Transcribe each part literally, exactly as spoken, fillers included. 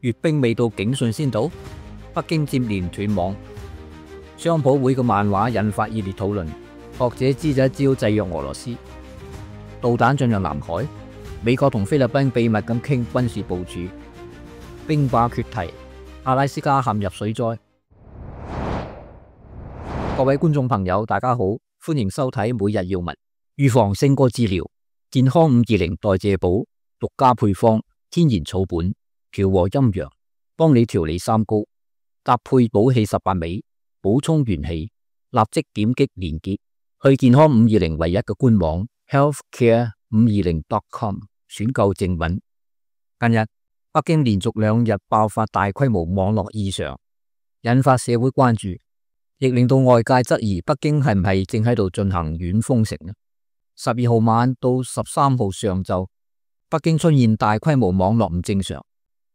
閱兵未到警訊先到，北京接連斷網。商普會嘅漫畫引發熱烈討論，學者支咗一招制約俄羅斯。導彈進入南海，美國同菲律賓秘密咁傾軍事部署。冰壩決堤，阿拉斯加陷入水災。各位觀眾朋友，大家好，歡迎收睇每日要聞。預防勝過治療，健康五二零代謝寶獨家配方，天然草本，調和陰陽，幫你調理三高，搭配補氣十八味，補充元氣。立即點擊連結去健康五二零唯一嘅官網 healthcare 五二零 dot com 選購正品。近日北京連續兩日爆發大規模網絡異常，引發社會關注，亦令到外界質疑北京係唔係正喺度進行軟封城呢？十二號晚到十三號上晝，北京出現大規模網絡唔正常，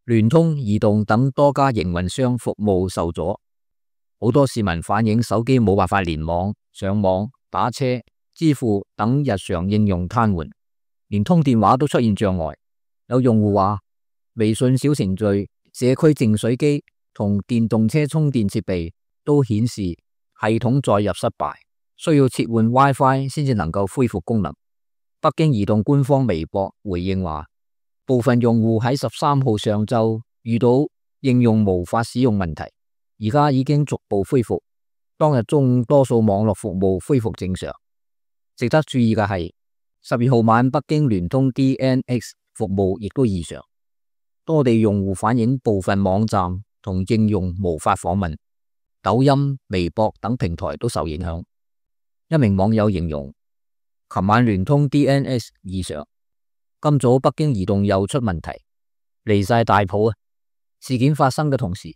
聯通、移動等多家營運商服務受阻，好多市民反映手機冇辦法連網、上網、打車、支付等日常應用癱瘓，連通電話都出現障礙。有用戶話，微信小程序、社區淨水機同電動車充電設備都顯示系統載入失敗，需要切換 WiFi 先至能夠恢復功能。北京移動官方微博回應話，部分用戶喺十三號上晝遇到應用無法使用問題，而家已經逐步恢復。當日中午多數網絡服務恢復正常。值得注意嘅係，十二號晚北京聯通 D N X 服務亦都異常，多地用戶反映部分網站同應用無法訪問，抖音、微博等平台都受影響。一名網友形容，琴晚聯通 D N S 異常，今早北京移動又出問題，離晒大譜啊！事件發生嘅同時，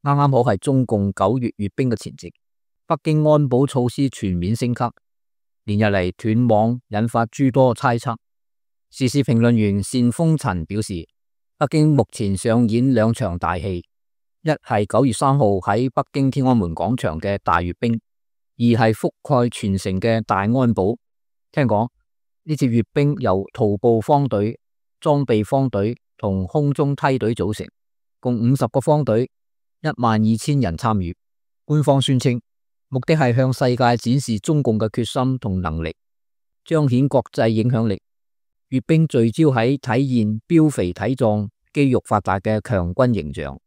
啱啱好係中共九月閱兵嘅前夕，北京安保措施全面升級，連日嚟斷網引發諸多猜測。時事評論員單風塵表示，北京目前上演兩場大戲，一係九月三號喺北京天安門廣場嘅大閱兵，二係覆蓋全城嘅大安保。聽講呢次閱兵由徒步方隊、裝備方隊同空中梯隊組成，共五十個方隊，一萬二千人參與。官方宣稱，目的係向世界展示中共嘅決心同能力，彰顯國際影響力。閱兵聚焦喺體現膘肥體壯、肌肉發達嘅強軍形象。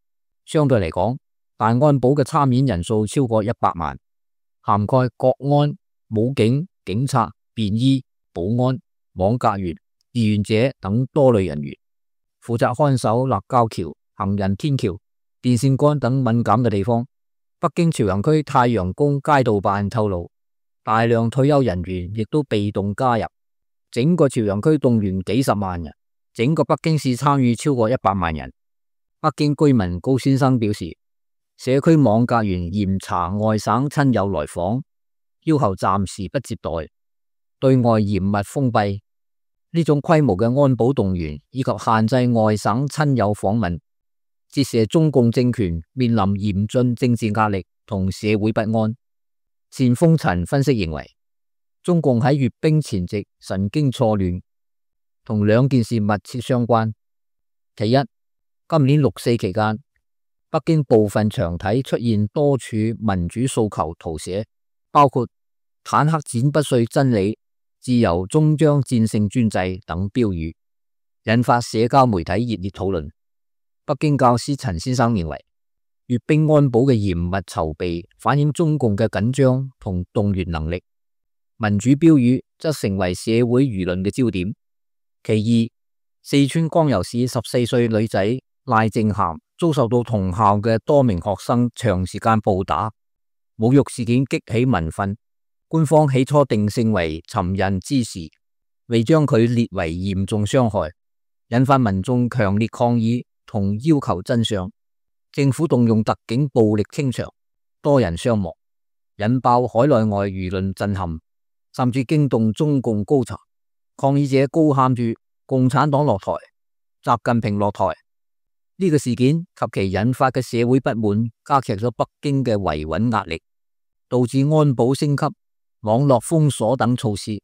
相對嚟講，大安保嘅參演人數超過一百萬，涵蓋國安、武警、警察、便衣、保安、網格員、志願者等多類人員，負責看守立交橋、行人天橋、電線桿等敏感嘅地方。北京朝陽區太陽宮街道辦透露，大量退休人員亦都被動加入，整個朝陽區動員幾十萬人，整個北京市參與超過一百萬人。北京居民高先生表示，社區網格員嚴查外省親友來訪，要求暫時不接待，對外嚴密封閉。呢種規模嘅安保動員以及限制外省親友訪問，折射中共政權面臨嚴峻政治壓力同社會不安。單風塵分析認為，中共喺閱兵前夕神經錯亂，同兩件事密切相關。其一，今年六四期間，北京部分牆體出現多處民主訴求圖寫，包括坦克剪不碎真理、自由終將戰勝專制等標語，引發社交媒體熱烈討論。北京教師陳先生認為，閱兵安保嘅嚴密籌備反映中共嘅緊張同動員能力，民主標語則成為社會輿論嘅焦點。其二，四川光柔市十四歲女仔賴靜涵遭受到同校嘅多名學生長時間暴打，侮辱事件激起民憤，官方起初定性為尋釁滋事，未將佢列為嚴重傷害，引發民眾強烈抗議同要求真相。政府動用特警暴力清場，多人傷亡，引爆海內外輿論震撼，甚至驚動中共高層。抗議者高喊住共產黨落台、習近平落台。呢個事件及其引發嘅社會不滿，加劇咗北京嘅維穩壓力，導致安保升級、網絡封鎖等措施。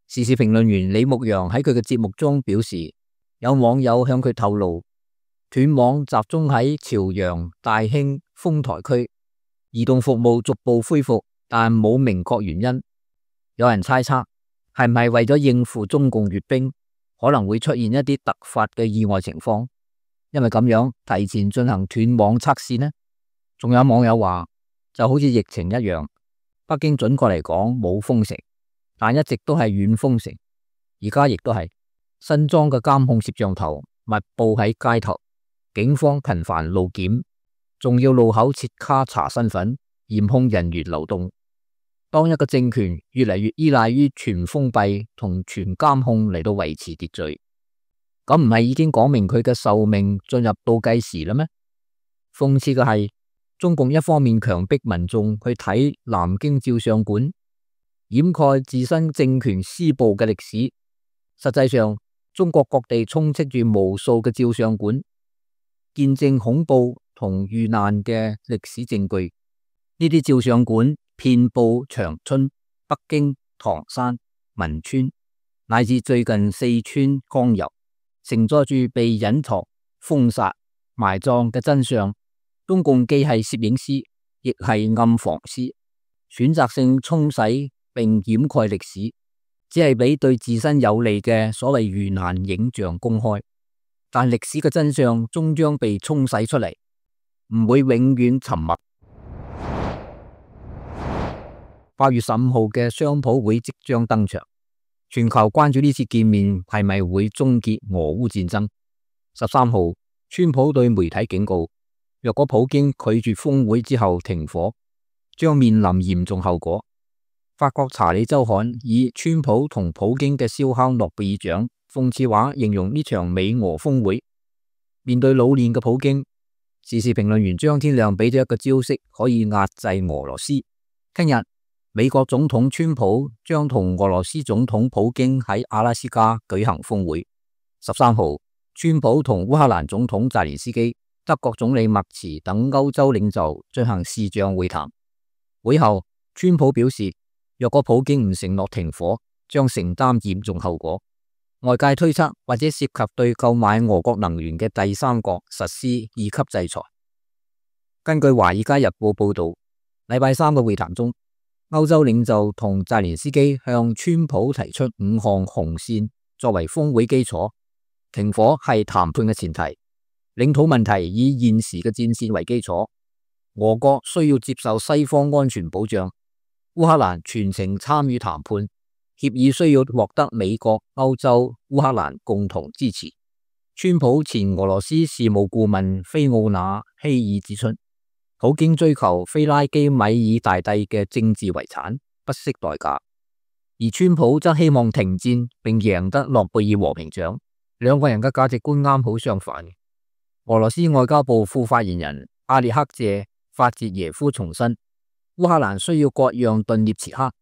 時事評論員李牧陽喺佢嘅節目中表示，有網友向佢透露，斷網集中喺朝陽、大興、豐台區，移動服務逐步恢復，但冇明確原因。有人猜測係唔係為咗應付中共閱兵，可能會出現一啲突發嘅意外情況，因為咁樣提前進行斷網測試呢？仲有網友話就好似疫情一樣，北京準確嚟講冇封城，但一直都係軟封城。而家亦都係新裝嘅監控攝像頭密布喺街頭，警方頻繁路檢，仲要路口設卡查身份，嚴控人員流動。當一個政權越嚟越依賴於全封閉同全監控嚟到維持秩序，咁唔係已經講明佢嘅壽命進入倒計時啦咩？諷刺嘅係，中共一方面強迫民眾去睇南京照相館，掩蓋自身政權施暴嘅歷史。實際上，中國各地充斥住無數嘅照相館，見證恐怖同遇難嘅歷史證據。呢啲照相館遍布長春、北京、唐山、汶川，乃至最近四川江油，承載住被隱藏、封殺、埋葬嘅真相。中共既係攝影師，亦係暗房師，選擇性沖洗並掩蓋歷史，只係俾對自身有利嘅所謂遇難影像公開。但歷史嘅真相終將被沖洗出嚟，唔會永遠沉默。八月十五號嘅雙普會即將登場，全球關注呢次見面係咪會終結俄烏戰爭。十三號，川普對媒體警告，若果普京拒絕峰會之後停火，將面臨嚴重後果。法國查理周刊以川普同普京嘅燒烤諾貝爾獎諷刺話形容呢場美俄峰會。面對老練嘅普京，時事評論員張天亮俾咗一個招式可以壓制俄羅斯。聽日美國總統川普將同俄羅斯總統普京喺阿拉斯加舉行峰會。十三號，川普同烏克蘭總統澤連斯基、德國總理默茨等歐洲領袖進行視像會談。會後，川普表示，若果普京唔承諾停火，將承擔嚴重後果。外界推測或者涉及對購買俄國能源嘅第三國實施二級制裁。根據《華爾街日報》報道，禮拜三嘅會談中，歐洲領袖同澤連斯基向川普提出五項紅線作為峰會基礎。停火係談判嘅前提，領土問題以現時嘅戰線為基礎，俄國需要接受西方安全保障。烏克蘭全程參與談判，協議需要獲得美國、歐洲、烏克蘭共同支持。川普前俄羅斯事務顧問菲奧娜希爾指出，普京追求菲拉基米爾大帝嘅政治遺產，不惜代價，而川普則希望停戰並贏得諾貝爾和平獎。兩個人嘅價值觀啱好相反。俄羅斯外交部副發言人阿列克謝法捷耶夫重申，烏克蘭需要割讓頓涅茨克、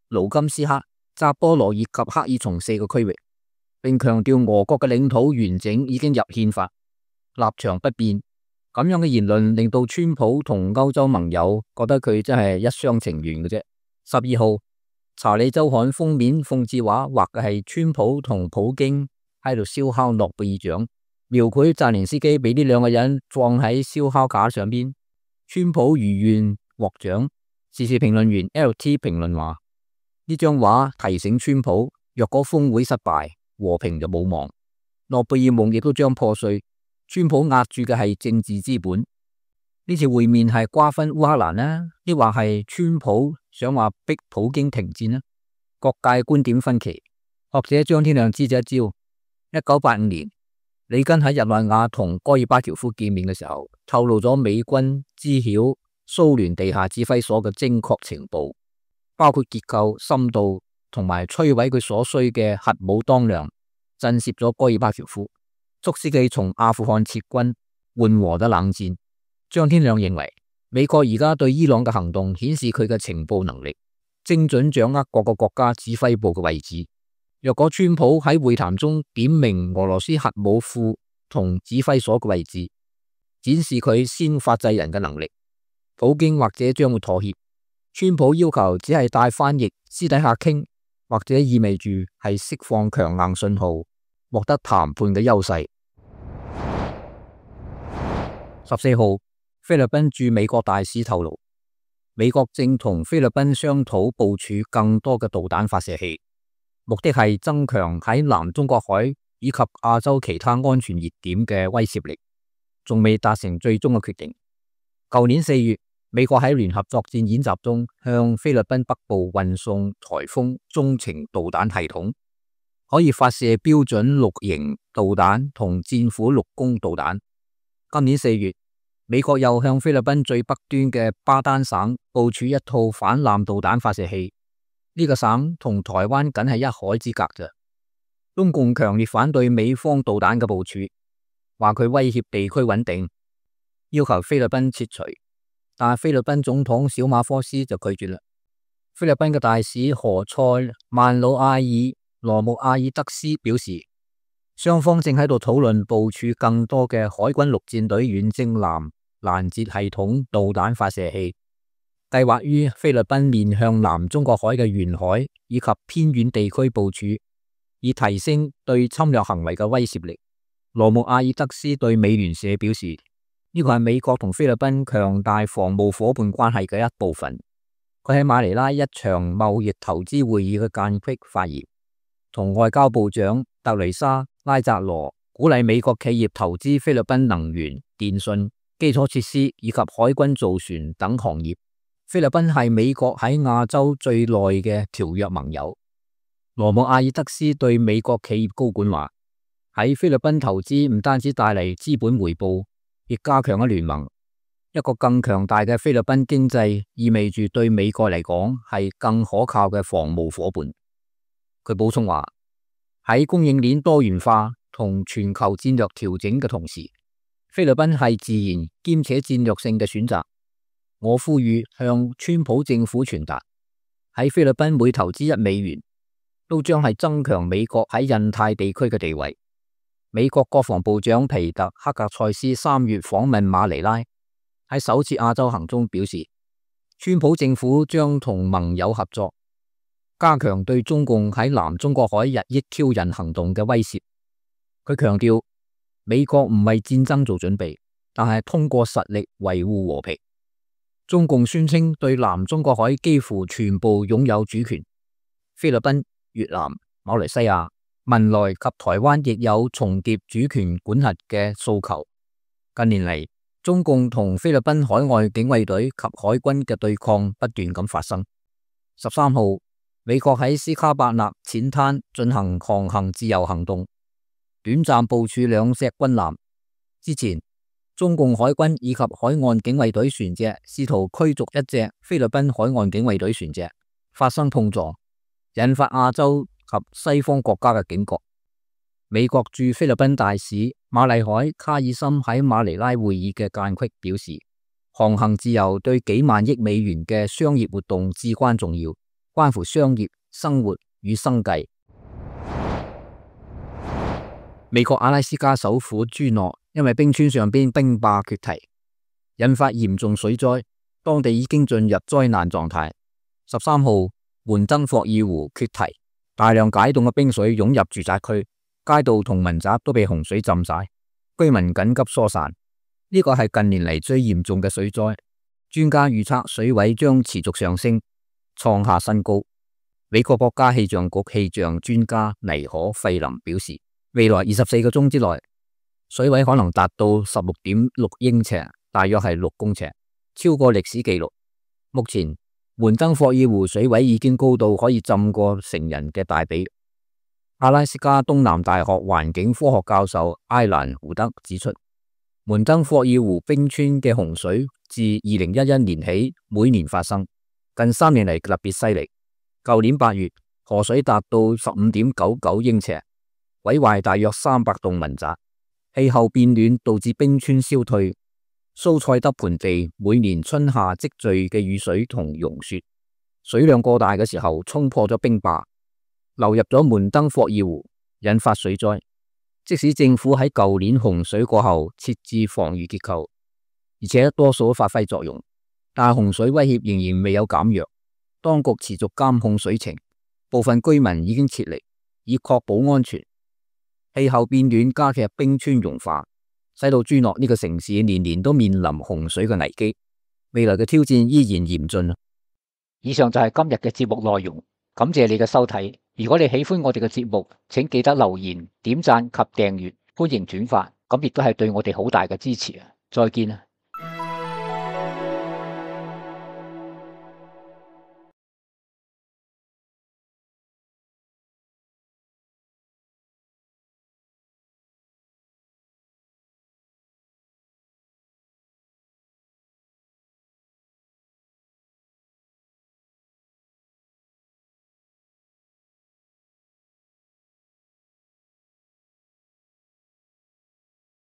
盧甘斯克、扎波羅熱及克爾松四個區域，並強調俄國嘅領土完整已經入憲法，立場不變。咁樣嘅言論令到川普同歐洲盟友覺得佢真係一廂情願嘅啫。十二號，查理周刊封面諷刺畫畫嘅係川普同普京喺度燒烤諾貝爾獎，描繪澤連斯基俾呢兩個人放喺燒烤架上邊，川普如願獲獎。時事評論員 L T 評論話，呢張畫提醒川普，若果峰會失敗，和平就冇望，諾貝爾夢亦都將破碎。川普壓住嘅係政治資本。呢次會面係瓜分烏克蘭呢，抑或係川普想話逼普京停戰呢？各界觀點分歧。學者張天亮支咗一招。一九八五年，里根喺日內瓦同戈爾巴喬夫見面嘅時候，透露咗美軍知曉蘇聯地下指揮所嘅精確情報，包括結構、深度同埋摧毀佢所需嘅核武當量，震懾咗戈爾巴喬夫，促使佢從阿富汗撤軍，緩和咗冷戰。張天亮認為，美國而家對伊朗嘅行動顯示佢嘅情報能力，精準掌握各個國家指揮部嘅位置。若果川普喺會談中點明俄羅斯核武庫同指揮所嘅位置，展示佢先發制人嘅能力，普京或者將會妥協。川普要求只係帶翻譯私底下傾，或者意味住係釋放強硬信號，獲得談判嘅優勢。十四號，菲律賓駐美國大使透露，美國正同菲律賓商討部署更多嘅導彈發射器，目的係增強喺南中國海以及亞洲其他安全熱點嘅威懾力，仲未達成最終嘅決定。舊年四月，美國喺聯合作戰演習中向菲律賓北部運送颱風中程導彈系統，可以發射標準六型導彈同戰斧陸攻導彈。今年四月，美國又向菲律賓最北端嘅巴丹省部署一套反艦導彈發射器，呢、這個省同台灣僅係一海之隔咋。中共強烈反對美方導彈嘅部署，話佢威脅地區穩定，要求菲律賓撤除。但係菲律賓總統小馬科斯就拒絕啦。菲律賓嘅大使何塞曼魯阿爾羅穆阿爾德斯表示，雙方正喺度討論部署更多嘅海軍陸戰隊遠征艦攔截系統導彈發射器，計劃於菲律賓面向南中國海嘅沿海以及偏遠地區部署，以提升對侵略行為嘅威懾力。羅穆阿爾德斯對美聯社表示，呢個係美國同菲律賓強大防務夥伴關係嘅一部分。佢喺馬尼拉一場貿易投資會議嘅間隙發言，同外交部長特雷莎拉扎羅鼓勵美國企業投資菲律賓能源、電信、基礎設施以及海軍造船等行業。菲律賓係美國喺亞洲最耐嘅條約盟友。羅姆阿爾德斯對美國企業高管話，喺菲律賓投資唔單止帶嚟資本回報，亦加強咗聯盟。一個更強大嘅菲律賓經濟意味住對美國嚟講係更可靠嘅防務夥伴。佢補充話，喺供應鏈多元化同全球戰略調整嘅同時，菲律賓係自然兼且戰略性嘅選擇。我呼籲向川普政府傳達，喺菲律賓每投資一美元都將係增強美國喺印太地區嘅地位。美國國防部長皮特克格塞斯三月訪問馬尼拉，喺首次亞洲行中表示，川普政府將同盟友合作，加強對中共喺南中國海日益挑釁行動嘅威懾。佢強調，美國唔為戰爭做準備，但係通過實力維護和平。中共宣稱對南中國海幾乎全部擁有主權，菲律賓、越南、馬來西亞、文萊及台灣亦有重疊主權管轄嘅訴求。近年嚟，中共同菲律賓海外警衛隊及海軍嘅對抗不斷咁發生。十三號，美國喺斯卡伯納淺灘進行航行自由行動，短暫部署兩隻軍艦。之前，中共海軍以及海岸警衛隊船隻試圖驅逐一隻菲律賓海岸警衛隊船隻，發生碰撞，引發亞洲及西方國家嘅警覺。美國駐菲律賓大使馬麗海卡爾森喺馬尼拉會議嘅間隙表示，航行自由對幾萬億美元嘅商業活動至關重要，關乎商業、生活與生計。美國阿拉斯加首府朱諾因為冰川上邊冰壩決堤，引發嚴重水災，當地已經進入災難狀態。十三號，門登霍爾湖決堤，大量解凍嘅冰水湧入住宅區，街道同民宅都被洪水浸晒，居民緊急疏散。呢個係近年嚟最嚴重嘅水災，專家預測水位將持續上升，創下新高。美國國家氣象局氣象專家尼可費林表示，未來二十四個鐘之內，水位可能達到十六點六英尺，大約係六公尺，超過歷史紀錄。目前門登霍爾湖水位已經高到可以浸過成人嘅大髀。阿拉斯加東南大學環境科學教授埃蘭胡德指出，門登霍爾湖冰川嘅洪水自二零一一年起每年發生，近三年嚟特別犀利。舊年八月，河水達到十五點九九英尺，毀壞大約三百棟民宅。氣候變暖導致冰川消退，蘇塞德盆地每年春夏積聚嘅雨水同融雪，水量過大嘅時候衝破咗冰壩，流入咗門登霍爾湖，引發水災。即使政府喺舊年洪水過後設置防禦結構，而且多數發揮作用，但洪水威脅仍然未有減弱。當局持續監控水情，部分居民已經撤離，以確保安全。氣候變暖加劇冰川融化，使到朱諾呢個城市年年都面臨洪水嘅危機，未來嘅挑戰依然嚴峻。以上就係今日嘅節目內容，感謝你嘅收睇。如果你喜歡我哋嘅節目，請記得留言、點讚及訂閱，歡迎轉發，咁亦都係對我哋好大嘅支持啊！再見啊！